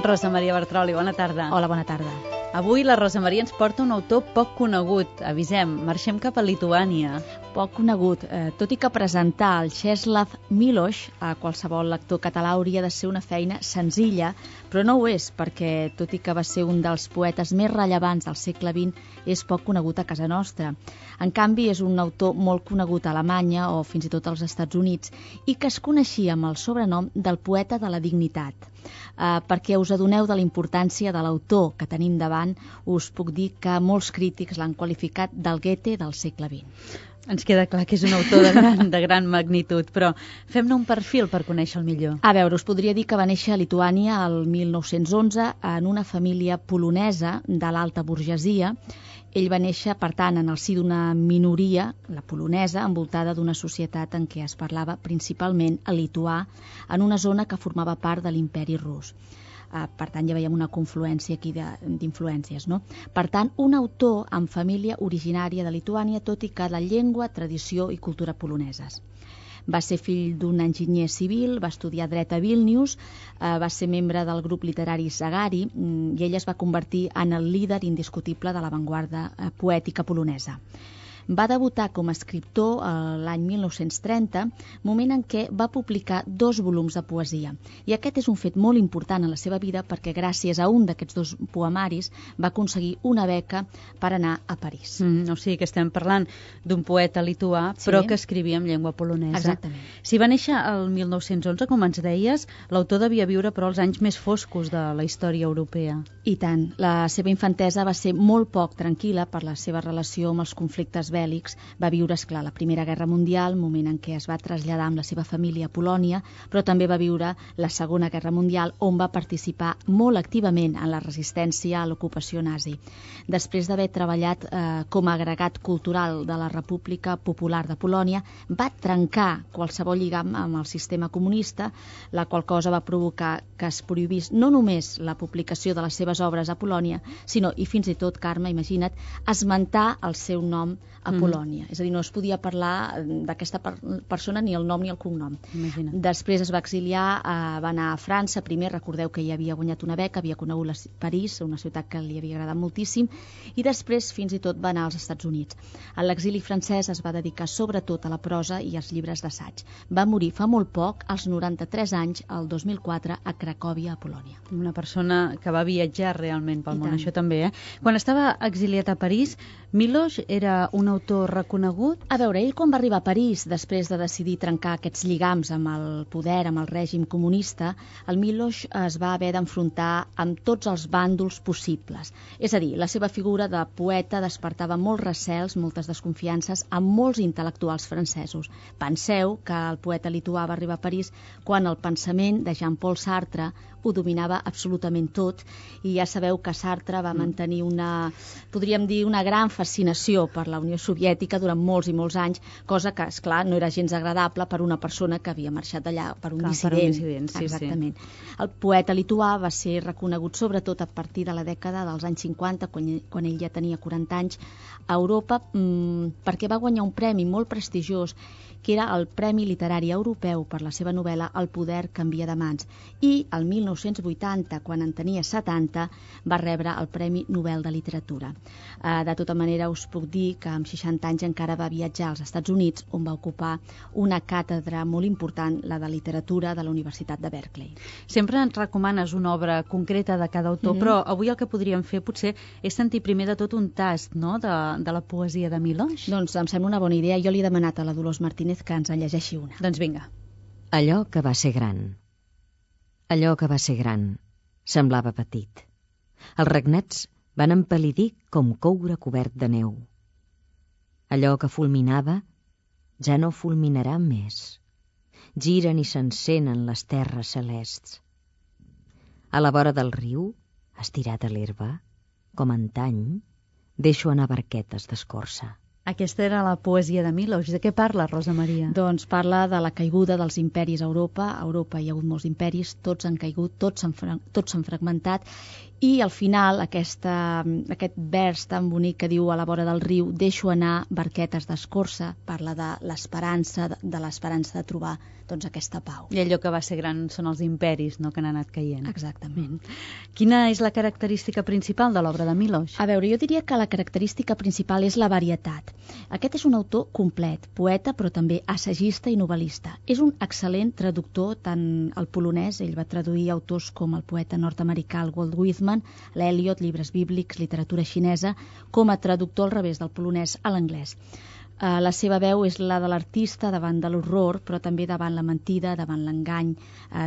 Rosa Maria Bartroli, bona tarda. Hola, bona tarda. Avui la Rosa Maria ens porta un autor poc conegut. Avisem, marxem cap a Lituània. Poc conegut, tot i que presentar el Czeslaw Milosz a qualsevol lector català hauria de ser una feina senzilla, però no ho és, perquè tot i que va ser un dels poetes més rellevants del segle XX, és poc conegut a casa nostra. En canvi, és un autor molt conegut a Alemanya o fins i tot als Estats Units i que es coneixia amb el sobrenom del poeta de la dignitat. Perquè us adoneu de la importància de l'autor que tenim davant, us puc dir que molts crítics l'han qualificat del Goethe del segle XX. Ens queda clar que és un autor de gran magnitud, però fem-ne un perfil per conèixer-lo millor. A veure, us podria dir que va néixer a Lituània el 1911 en una família polonesa de l'alta burgesia. Ell va néixer, per tant, en el si d'una minoria, la polonesa, envoltada d'una societat en què es parlava principalment el lituà, en una zona que formava part de l'imperi rus. Per tant, ja veiem una confluència aquí d'influències, no? Per tant, un autor amb família originària de Lituània, tot i que de llengua, tradició i cultura poloneses. Va ser fill d'un enginyer civil, va estudiar dret a Vilnius, va ser membre del grup literari Sagari i ell es va convertir en el líder indiscutible de l'avantguarda poètica polonesa. Va debutar com a escriptor l'any 1930, moment en què va publicar 2 volums de poesia. I aquest és un fet molt important en la seva vida perquè gràcies a un d'aquests 2 poemaris va aconseguir una beca per anar a París. O sigui que estem parlant d'un poeta lituà, sí, però que escrivia en llengua polonesa. Exactament. Si va néixer el 1911, com ens deies, l'autor devia viure però els anys més foscos de la història europea. I tant. La seva infantesa va ser molt poc tranquil·la per la seva relació amb els conflictes bèl·lics. Va viure, esclar, la Primera Guerra Mundial, moment en què es va traslladar amb la seva família a Polònia, però també va viure la Segona Guerra Mundial, on va participar molt activament en la resistència a l'ocupació nazi. Després d'haver treballat com a agregat cultural de la República Popular de Polònia, va trencar qualsevol lligam amb el sistema comunista, la qual cosa va provocar que es prohibís no només la publicació de les seves obres a Polònia, sinó, i fins i tot, Carme, imagina't, esmentar el seu nom a Polònia. És a dir, no es podia parlar d'aquesta persona ni el nom ni el cognom. Imagina't. Després es va exiliar, va anar a França. Primer, recordeu que ja havia guanyat una beca, havia conegut París, una ciutat que li havia agradat moltíssim, i després fins i tot va anar als Estats Units. A l'exili francès es va dedicar sobretot a la prosa i als llibres d'assaig. Va morir fa molt poc, als 93 anys, el 2004, a Cracòvia, a Polònia. Una persona que va viatjar realment pel món, això també, Quan estava exiliat a París, Milosz era un autor reconegut? A veure, ell quan va arribar a París, després de decidir trencar aquests lligams amb el poder, amb el règim comunista, el Milosz es va haver d'enfrontar amb tots els bàndols possibles. És a dir, la seva figura de poeta despertava molts recels, moltes desconfiances amb molts intel·lectuals francesos. Penseu que el poeta lituà va arribar a París quan el pensament de Jean-Paul Sartre ho dominava absolutament tot, i ja sabeu que Sartre va mantenir podríem dir, una gran fascinació per la Unió Soviètica durant molts i molts anys, cosa que, esclar, no era gens agradable per una persona que havia marxat d'allà per un dissident. Sí, exactament. Sí. El poeta lituà va ser reconegut sobretot a partir de la dècada dels anys 50, quan ell ja tenia 40 anys, a Europa, perquè va guanyar un premi molt prestigiós, que era el Premi Literari Europeu per la seva novel·la El poder canvia de mans. I el 1980, quan en tenia 70, va rebre el Premi Nobel de Literatura. De tota manera, us puc dir que amb 60 anys encara va viatjar als Estats Units, on va ocupar una càtedra molt important, la de literatura de la Universitat de Berkeley. Sempre ens recomanes una obra concreta de cada autor, però avui el que podríem fer potser és sentir primer de tot un tast, no?, de la poesia de Milosz. Doncs em sembla una bona idea. Jo li he demanat a la Dolors Martínez que ens en llegeixi una. Doncs vinga. Allò que va ser gran. Allò que va ser gran semblava petit. Els regnets van empal·lidir com coure cobert de neu. Allò que fulminava ja no fulminarà més. Giren i s'encenen les terres celests. A la vora del riu, estirat a l'herba, com antany, deixo anar barquetes d'escorça. Aquesta era la poesia de Milosz. De què parla, Rosa Maria? Doncs parla de la caiguda dels imperis a Europa. A Europa hi ha hagut molts imperis, tots han caigut, tots s'han fragmentat, I al final aquest vers tan bonic que diu a la vora del riu, deixo anar barquetes d'escorça, parla de l'esperança de trobar doncs, aquesta pau. I allò que va ser gran són els imperis, no?, que han anat caient. Exactament. Quina és la característica principal de l'obra de Miloš? A veure, jo diria que la característica principal és la varietat. Aquest és un autor complet, poeta però també assagista i novel·lista. És un excel·lent traductor tant al polonès, ell va traduir autors com el poeta nord-americà Walt Whitman, l'Eliot, llibres bíblics, literatura xinesa, com a traductor al revés del polonès a l'anglès. La seva veu és la de l'artista davant de l'horror, però també davant la mentida, davant l'engany,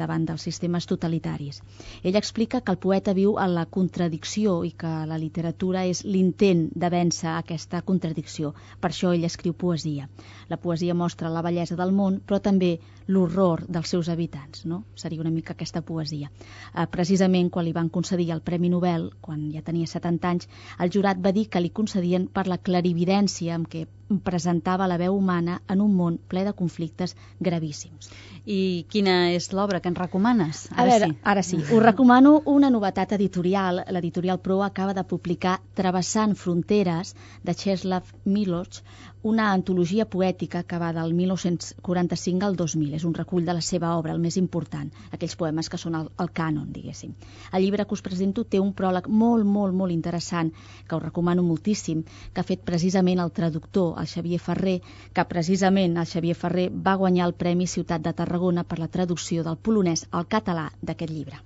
davant dels sistemes totalitaris. Ell explica que el poeta viu en la contradicció i que la literatura és l'intent de vèncer aquesta contradicció. Per això ell escriu poesia. La poesia mostra la bellesa del món, però també l'horror dels seus habitants, no? Seria una mica aquesta poesia. Precisament quan li van concedir el Premi Nobel, quan ja tenia 70 anys, el jurat va dir que li concedien per la clarividència amb què presentava la veu humana en un món ple de conflictes gravíssims. I quina és l'obra que ens recomanes? Ara sí. Us recomano una novetat editorial. L'editorial Proa acaba de publicar Travessant fronteres, de Czesław Milosz, una antologia poètica que va del 1945 al 2000. És un recull de la seva obra, el més important, aquells poemes que són el cànon, diguéssim. El llibre que us presento té un pròleg molt interessant, que us recomano moltíssim, que ha fet precisament el traductor, el Xavier Ferrer, que precisament el Xavier Ferrer va guanyar el Premi Ciutat de Tarragona per la traducció del polonès al català d'aquest llibre.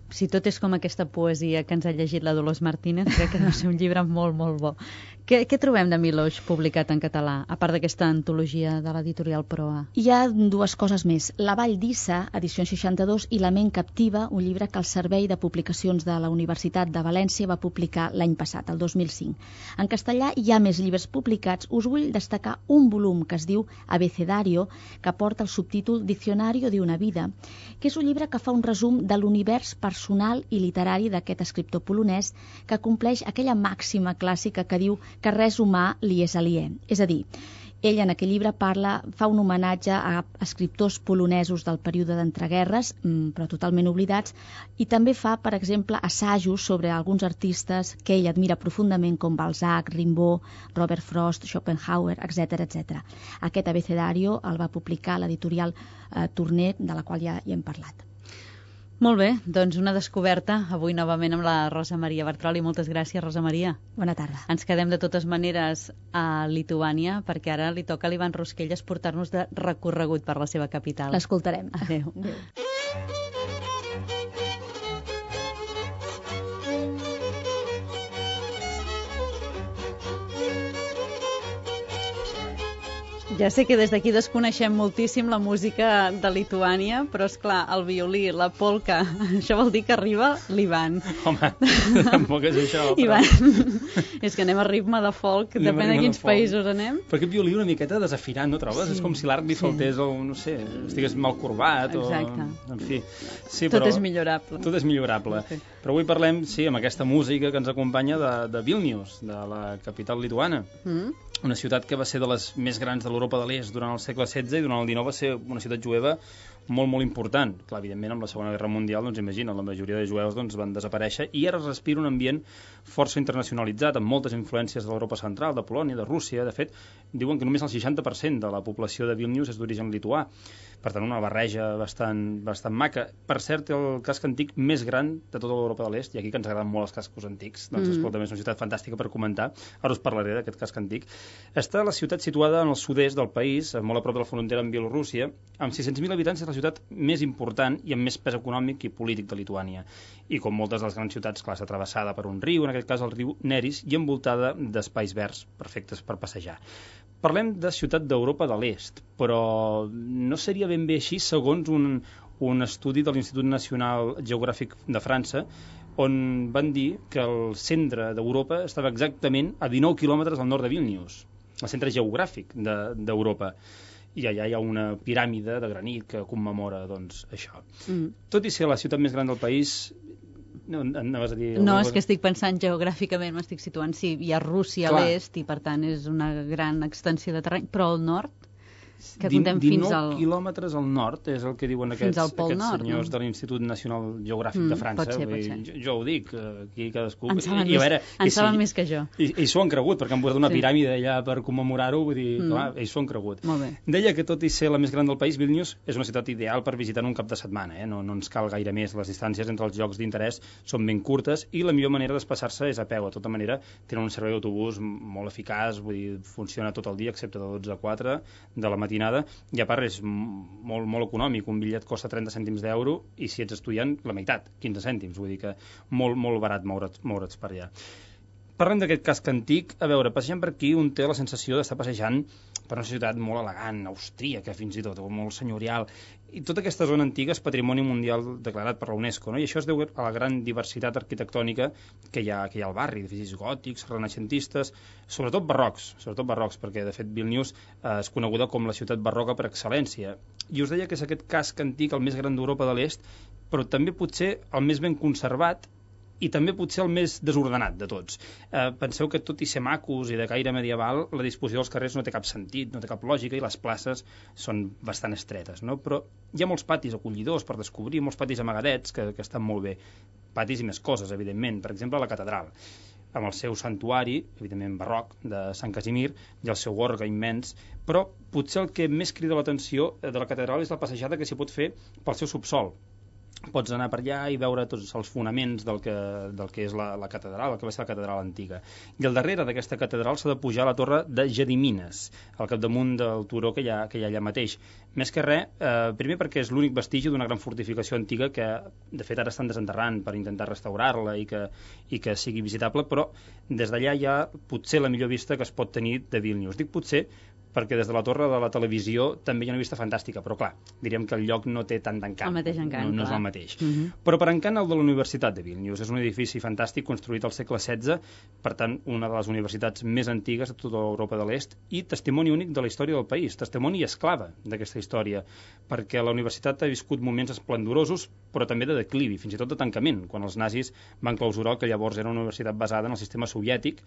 Si tot és com aquesta poesia que ens ha llegit la Dolors Martínez, crec que deu ser un llibre molt bo. Què trobem de Miloš publicat en català, a part d'aquesta antologia de l'editorial Proa? Hi ha dues coses més. La Vall d'Issa, edició 62, i La ment captiva, un llibre que el Servei de Publicacions de la Universitat de València va publicar l'any passat, el 2005. En castellà hi ha més llibres publicats. Us vull destacar un volum que es diu Abecedario, que porta el subtítol Diccionario de una vida, que és un llibre que fa un resum de l'univers personal i literari d'aquest escriptor polonès, que compleix aquella màxima clàssica que diu que res humà li és aliè. És a dir, ell en aquell llibre fa un homenatge a escriptors polonesos del període d'entreguerres, però totalment oblidats, i també fa, per exemple, assajos sobre alguns artistes que ell admira profundament, com Balzac, Rimbaud, Robert Frost, Schopenhauer, etc. Aquest abecedario el va publicar l'editorial Torner, de la qual ja hi hem parlat. Molt bé, doncs una descoberta avui novament amb la Rosa Maria Bartroli. Moltes gràcies, Rosa Maria. Bona tarda. Ens quedem de totes maneres a Lituània, perquè ara li toca a l'Ivan Rusquelles portar-nos de recorregut per la seva capital. L'escoltarem. Adéu. Ja sé que des d'aquí desconeixem moltíssim la música de Lituània, però és clar, el violí, la polca, això vol dir que arriba l'Ivan. Home, tampoc és això. Però... Ivan, és que anem a ritme de folk, depèn de quins països anem. Però aquest violí una miqueta desafinat, no trobes? Sí, és com si l'art li faltés, no sé, estigués mal corbat. Exacte. En fi. Sí, tot és millorable. Tot és millorable. Sí. Però avui parlem, sí, amb aquesta música que ens acompanya de Vilnius, de la capital lituana. Una ciutat que va ser de les més grans de l'Europa de l'Est durant el segle XVI i durant el XIX va ser una ciutat jueva molt important. Clar, evidentment, amb la Segona Guerra Mundial, doncs imagina, la majoria de jueus van desaparèixer i ara es respira un ambient força internacionalitzat, amb moltes influències de l'Europa central, de Polònia, de Rússia. De fet, diuen que només el 60% de la població de Vilnius és d'origen lituà. Per tant, una barreja bastant maca. Per cert, el casc antic més gran de tota l'Europa de l'Est, i aquí que ens agraden molt els cascos antics, doncs escolta, és una ciutat fantàstica per comentar. Ara us parlaré d'aquest casc antic. Està la ciutat situada en el sud-est del país, molt a prop de la frontera amb Bielorússia. Amb 600.000 habitants és la ciutat més important i amb més pes econòmic i polític de Lituània. I com moltes de les grans ciutats, clar, està travessada per un riu, en aquest cas el riu Neris, i envoltada d'espais verds perfectes per passejar. Parlem de ciutat d'Europa de l'Est, però no seria ben bé així segons un estudi de l'Institut Nacional Geogràfic de França, on van dir que el centre d'Europa estava exactament a 19 quilòmetres al nord de Vilnius, el centre geogràfic d'Europa. I allà hi ha una piràmide de granit que commemora, doncs, això. Tot i ser la ciutat més gran del país... No, anaves a dir... No, és que estic pensant geogràficament, m'estic situant, sí, hi ha Rússia a l'est i per tant és una gran extensió de terreny, però al nord Que comptem fins al... 19 quilòmetres al nord, és el que diuen aquests senyors de l'Institut Nacional Geogràfic de França. Pot ser. Jo ho dic, aquí cadascú... En saben més que jo. I s'ho han cregut, perquè han posat una piràmide allà per commemorar-ho, vull dir, clar, ells s'ho han cregut. Deia que tot i ser la més gran del país, Vílnius és una ciutat ideal per visitar en un cap de setmana, no ens cal gaire més, les distàncies entre els llocs d'interès són ben curtes i la millor manera d'espassar-se és a peu. De tota manera, tenen un servei d'autobús molt eficaç, vull dir, funciona tot el dia, excepte de 12 a 4 de la matinada, i a part és molt, molt econòmic, un bitllet costa 30 cèntims d'euro i si ets estudiant, la meitat, 15 cèntims, vull dir que molt, molt barat moure's per allà. Parlem d'aquest casc antic, a veure, passejant per aquí un té la sensació d'estar passejant per una ciutat molt elegant, austríaca fins i tot, molt senyorial, i tota aquesta zona antiga és patrimoni mundial declarat per la UNESCO, no? I això es deu a la gran diversitat arquitectònica que hi ha al barri, edificis gòtics, renaixentistes, sobretot barrocs, perquè de fet Vílnius és coneguda com la ciutat barroca per excel·lència. I us deia que és aquest casc antic el més gran d'Europa de l'Est, però també potser el més ben conservat i també potser el més desordenat de tots. Penseu que tot i ser macos i de caire medieval, la disposició dels carrers no té cap sentit, no té cap lògica i les places són bastant estretes, no? Però hi ha molts patis acollidors per descobrir, molts patis amagadets que estan molt bé. Patis i més coses, evidentment. Per exemple, la catedral, amb el seu santuari, evidentment barroc, de Sant Casimir, i el seu orgue immens, però potser el que més crida l'atenció de la catedral és la passejada que s'hi pot fer pel seu subsòl. Pots anar per allà i veure tots els fonaments del que és la catedral, el que va ser la catedral antiga. I al darrere d'aquesta catedral s'ha de pujar a la torre de Gedimines, al capdamunt del turó que hi ha allà mateix. Més que res, primer perquè és l'únic vestigi d'una gran fortificació antiga que, de fet, ara estan desenterrant per intentar restaurar-la i que sigui visitable, però des d'allà hi ha potser la millor vista que es pot tenir de Vílnius. Dic potser perquè des de la torre de la televisió també hi ha una vista fantàstica, però clar, diríem que el lloc no té tant d'encant. El mateix encant, no és el mateix. Però per encant el de la Universitat de Vílnius. És un edifici fantàstic construït al segle XVI, per tant, una de les universitats més antigues de tota Europa de l'Est i testimoni únic de la història del país, testimoni esclava d'aquesta història, perquè la universitat ha viscut moments esplendorosos, però també de declivi, fins i tot de tancament, quan els nazis van clausurar el que llavors era una universitat basada en el sistema soviètic,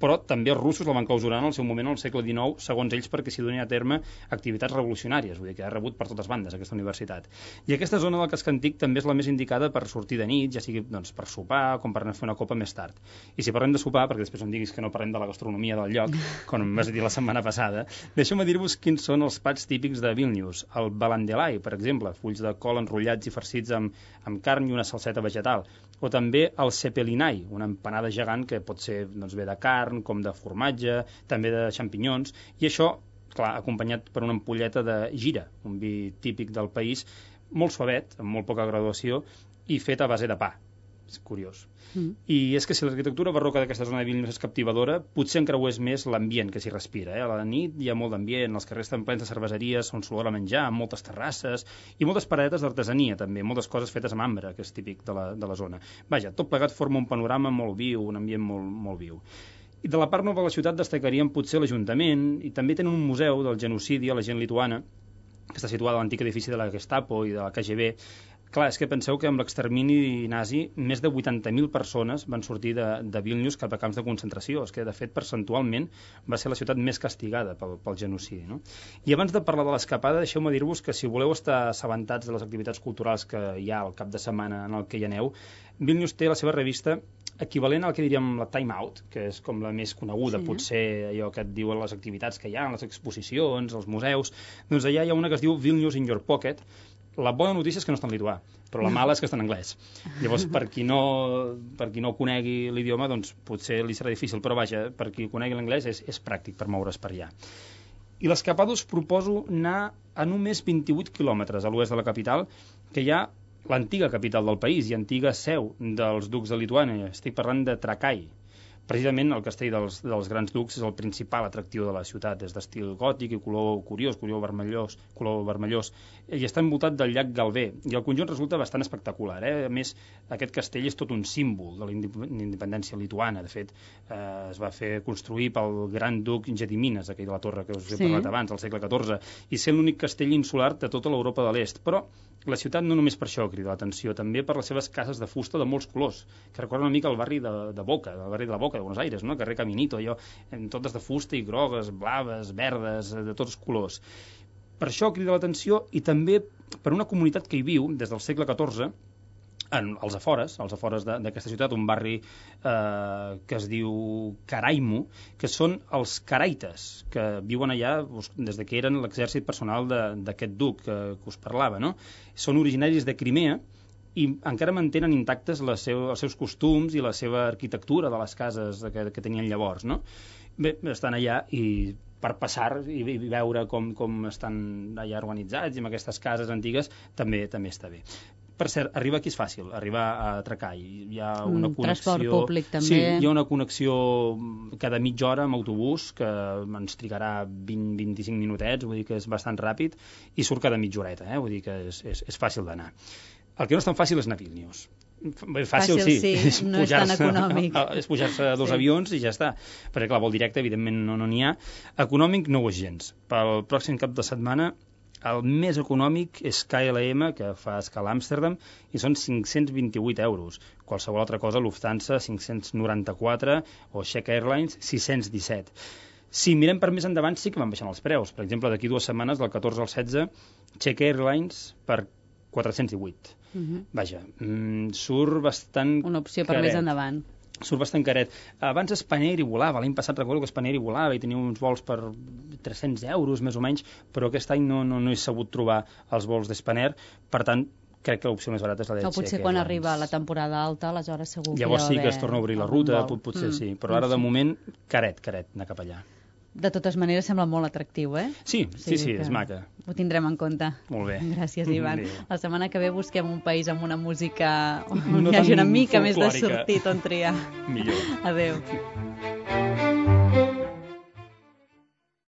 però també els russos la van clausurar en el seu moment al segle XIX, segons ells, perquè s'hi donin a terme activitats revolucionàries, vull dir que ha rebut per totes bandes aquesta universitat. I aquesta zona del casc antic també és la més indicada per sortir de nit, ja sigui per sopar, com per anar a fer una copa més tard. I si parlem de sopar, perquè després em diguis que no parlem de la gastronomia del lloc, com em vas dir la setmana passada, deixeu-me dir-vos quins són els plats típics de Vílnius. El balandelai, per exemple, fulls de col enrotllats i farcits amb carn i una salseta vegetal. O també el cepelinai, una empanada gegant que pot ser bé de carn, com de formatge, també de xampinyons, i això, clar, acompanyat per una ampolleta de gira, un vi típic del país, molt suavet, amb molt poca graduació, i fet a base de pa. És curiós. I és que si l'arquitectura barroca d'aquesta zona de Vílnius és captivadora, potser encreués més l'ambient que s'hi respira. A la nit hi ha molt d'ambient, els carrers estan plens de cerveseries on s'olora a menjar, amb moltes terrasses i moltes paradetes d'artesania també, moltes coses fetes amb ambre, que és típic de la zona. Vaja, tot plegat forma un panorama molt viu, un ambient molt, molt viu. I de la part nova de la ciutat destacaríem potser l'Ajuntament, i també tenen un museu del genocidi a la gent lituana, que està situada a l'antic edifici de la Gestapo i de la KGB. Clar, és que penseu que amb l'extermini nazi més de 80.000 persones van sortir de Vílnius cap a camps de concentració. És que, de fet, percentualment va ser la ciutat més castigada pel genocidi, no? I abans de parlar de l'escapada, deixeu-me dir-vos que si voleu estar assabentats de les activitats culturals que hi ha al cap de setmana en el que hi aneu, Vílnius té la seva revista equivalent al que diríem la Time Out, que és com la més coneguda, sí, potser allò que et diuen les activitats que hi ha, les exposicions, els museus. Doncs allà hi ha una que es diu Vílnius in your pocket. La bona notícia és que no està en lituà, però la mala és que està en anglès. Llavors, per qui no conegui l'idioma, doncs potser li serà difícil, però vaja, per qui conegui l'anglès és pràctic per moure's per allà. I l'escapada us proposo anar a només 28 quilòmetres a l'oest de la capital, que hi ha l'antiga capital del país i antiga seu dels ducs de Lituània. Estic parlant de Trakai. Precisament el castell dels grans ducs és el principal atractiu de la ciutat, és d'estil gòtic i color curiós, color vermellós, i està envoltat del llac Galvé, i el conjunt resulta bastant espectacular. A més, aquest castell és tot un símbol de la independència lituana. De fet, es va fer construir pel gran duc Gedimines, aquell de la torre que us he parlat abans, al segle XIV, i ser l'únic castell insular de tota l'Europa de l'Est. Però la ciutat no només per això crida l'atenció, també per les seves cases de fusta de molts colors, que recorden una mica el barri de Boca, el barri de la Boca de Buenos Aires, no? El carrer Caminito, allò, totes de fusta i grogues, blaves, verdes, de tots colors. Per això crida l'atenció, i també per una comunitat que hi viu des del segle XIV, als afores d'aquesta ciutat, un barri que es diu Caraimo, que són els caraites, que viuen allà des que eren l'exèrcit personal d'aquest duc que us parlava, no? Són originaris de Crimea i encara mantenen intactes els seus costums i la seva arquitectura de les cases que tenien llavors, no? Bé, estan allà i per passar i veure com estan allà organitzats i amb aquestes cases antigues també està bé. Per cert, arribar aquí és fàcil, arribar a Tracall. Hi ha una connexió... Transport públic, també. Sí, hi ha una connexió cada mitja hora amb autobús, que ens trigarà 20-25 minutets, vull dir que és bastant ràpid, i surt cada mitja horeta, vull dir que és fàcil d'anar. El que no és tan fàcil és anar a Vílnius. Fàcil sí, no és tan econòmic. És pujar-se a 2 avions i ja està. Perquè, clar, vol directe, evidentment, no n'hi ha. Econòmic no ho és gens. Pel pròxim cap de setmana, el més econòmic és KLM, que fa escala a Amsterdam, i són 528 euros. Qualsevol altra cosa, Lufthansa, 594, o Czech Airlines, 617. Si mirem per més endavant, sí que van baixant els preus. Per exemple, d'aquí 2 setmanes, del 14 al 16, Czech Airlines per 408. Vaja, surt bastant una opció per caret. més endavant. Surt bastant caret. Abans Spanair hi volava, l'any passat recordo que Spanair hi volava i tenia uns vols per 300 euros més o menys, però aquest any no he sabut trobar els vols d'Spanair, per tant crec que l'opció més barata és la de Czech. Potser quan arriba la temporada alta, aleshores segur que llavors sí que es torna a obrir la ruta, potser sí, però ara de moment caret anar cap allà. De totes maneres sembla molt atractiu, Sí, és maca. Ho tindrem en compte. Molt bé. Gràcies, Ivan. La setmana que ve busquem un país amb una música on no hi hagi una mica folclòrica. més de sortit on triar. Millor. Adéu.